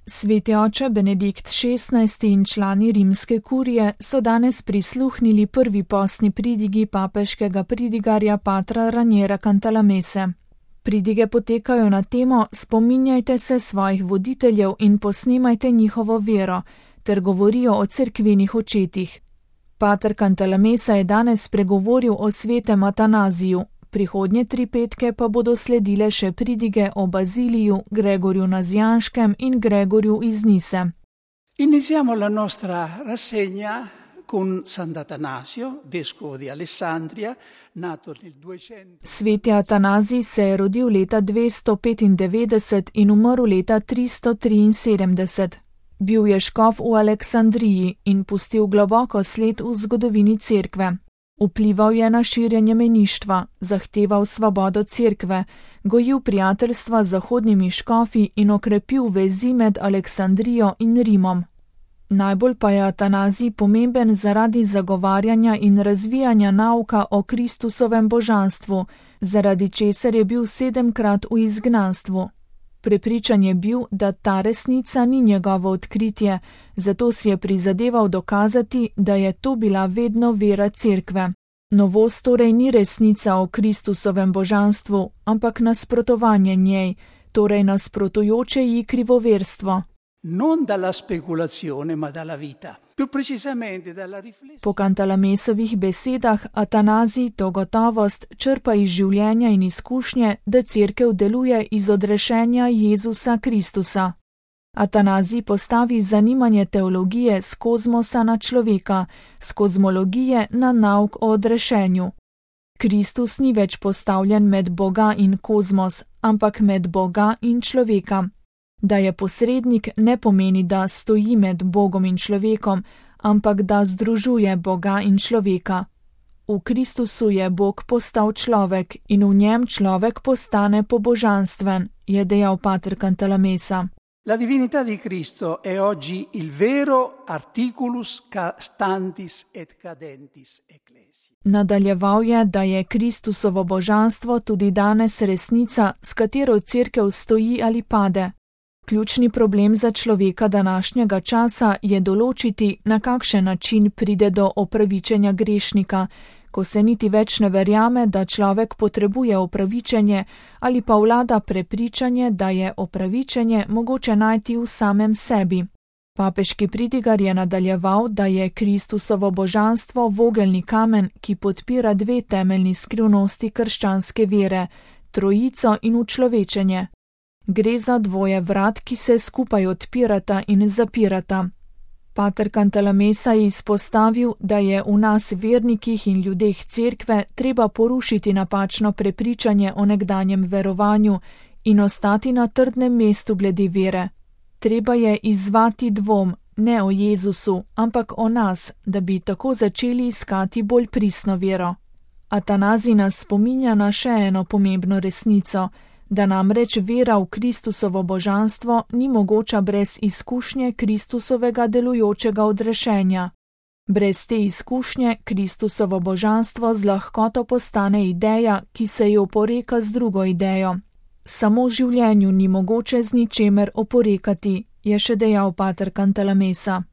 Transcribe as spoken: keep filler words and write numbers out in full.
Sveti oče Benedikt šestnajsti in člani rimske kurije so danes prisluhnili prvi postni pridigi papeškega pridigarja patra Raniera Cantalamesse. Pridige potekajo na temo Spominjajte se svojih voditeljev in posnemajte njihovo vero, ter govorijo o cerkvenih očetih. Pater Cantalamessa je danes spregovoril o svetem Atanaziju, prihodnje tri petke pa bodo sledile še pridige o Baziliju, Gregorju Nazianškem in Gregorju iz Nise. Iniziamo la nostra rassegna con Sant'Atanasio, vescovo di Alessandria, nato nel duecento. Sveti Atanazij se je rodil leta dvesto petindevetdeset in umrl leta tristo triinsedemdeset. Bil je škof v Aleksandriji in pustil globoko sled v zgodovini cerkve. Vplival je na širjenje meništva, zahteval svobodo cerkve, gojil prijateljstva z zahodnimi škofi in okrepil vezi med Aleksandrijo in Rimom. Najbolj pa je Atanazij pomemben zaradi zagovarjanja in razvijanja nauka o Kristusovem božanstvu, zaradi česar je bil sedemkrat v izgnanstvu. Prepričan je bil, da ta resnica ni njegovo odkritje, zato si je prizadeval dokazati, da je to bila vedno vera cerkve. Novost torej ni resnica o Kristusovem božanstvu, ampak nasprotovanje njej, torej nasprotujoče ji krivoverstvo. Non dalla speculazione, ma dalla vita. Più precisamente dalla riflessione. Po Cantalamessovih besedah Atanazij to gotovost črpa iz življenja in izkušnje, da cerkev deluje iz odrešenja Jezusa Kristusa. Atanazij postavi zanimanje teologije s kozmosa na človeka, s kozmologije na nauk o odrešenju. Kristus ni več postavljen med Boga in kozmos, ampak med Boga in človeka. Da je posrednik ne pomeni, da stoji med Bogom in človekom, ampak da združuje Boga in človeka. V Kristusu je Bog postal človek in v njem človek postane pobožanstven, je dejal pater Cantalamessa. La divinità di Cristo è oggi il vero articulus standis et cadentis ecclesiae. Nadaljeval je, da je Kristusovo božanstvo tudi danes resnica, s katero cerkev stoji ali pade. Ključni problem za človeka današnjega časa je določiti, na kakšen način pride do opravičenja grešnika, ko se niti več ne verjame, da človek potrebuje opravičenje, ali pa vlada prepričanje, da je opravičenje mogoče najti v samem sebi. Papeški pridigar je nadaljeval, da je Kristusovo božanstvo vogelni kamen, ki podpira dve temeljni skrivnosti krščanske vere, trojico in učlovečenje. Gre za dvoje vrat, ki se skupaj odpirata in zapirata. Pater Cantalamessa je izpostavil, da je v nas vernikih in ljudeh cerkve treba porušiti napačno prepričanje o nekdanjem verovanju in ostati na trdnem mestu glede vere. Treba je izzvati dvom, ne o Jezusu, ampak o nas, da bi tako začeli iskati bolj pristno vero. Atanazij nas spominja na še eno pomembno resnico, da namreč vera v Kristusovo božanstvo ni mogoča brez izkušnje Kristusovega delujočega odrešenja. Brez te izkušnje Kristusovo božanstvo z lahkoto postane ideja, ki se ji oporeka z drugo idejo. Samo življenju ni mogoče z ničemer oporekati, je še dejal pater Cantalamessa.